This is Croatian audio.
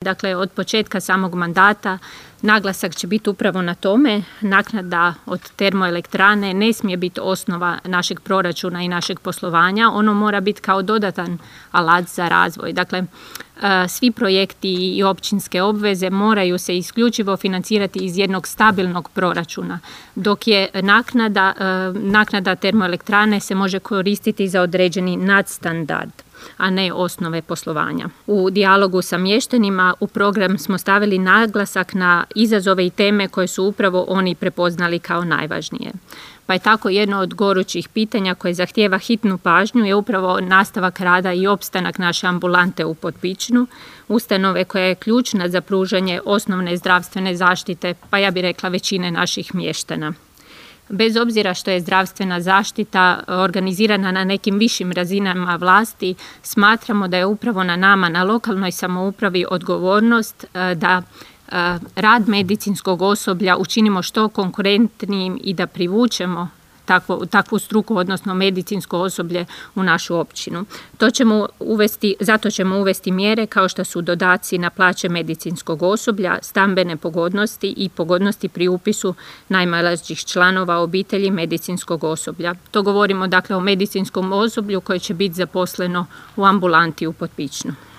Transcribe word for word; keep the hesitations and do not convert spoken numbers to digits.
Dakle, od početka samog mandata naglasak će biti upravo na tome. Naknada od termoelektrane ne smije biti osnova našeg proračuna i našeg poslovanja. Ono mora biti kao dodatan alat za razvoj. Dakle, svi projekti i općinske obveze moraju se isključivo financirati iz jednog stabilnog proračuna, dok je naknada, naknada termoelektrane se može koristiti za određeni nadstandard, a ne osnove poslovanja. U dijalogu sa mještanima u program smo stavili naglasak na izazove i teme koje su upravo oni prepoznali kao najvažnije. Pa je tako jedno od gorućih pitanja koje zahtijeva hitnu pažnju je upravo nastavak rada i opstanak naše ambulante u Potpičnu, ustanove koja je ključna za pružanje osnovne zdravstvene zaštite, pa ja bih rekla većine naših mještana. Bez obzira što je zdravstvena zaštita organizirana na nekim višim razinama vlasti, smatramo da je upravo na nama, na lokalnoj samoupravi, odgovornost da rad medicinskog osoblja učinimo što konkurentnijim i da privučemo takvu, takvu struku, odnosno medicinsko osoblje u našu općinu. To ćemo uvesti, zato ćemo uvesti mjere kao što su dodaci na plaće medicinskog osoblja, stambene pogodnosti i pogodnosti pri upisu najmlađih članova obitelji medicinskog osoblja. To govorimo dakle o medicinskom osoblju koje će biti zaposleno u ambulanti u Potpičnu.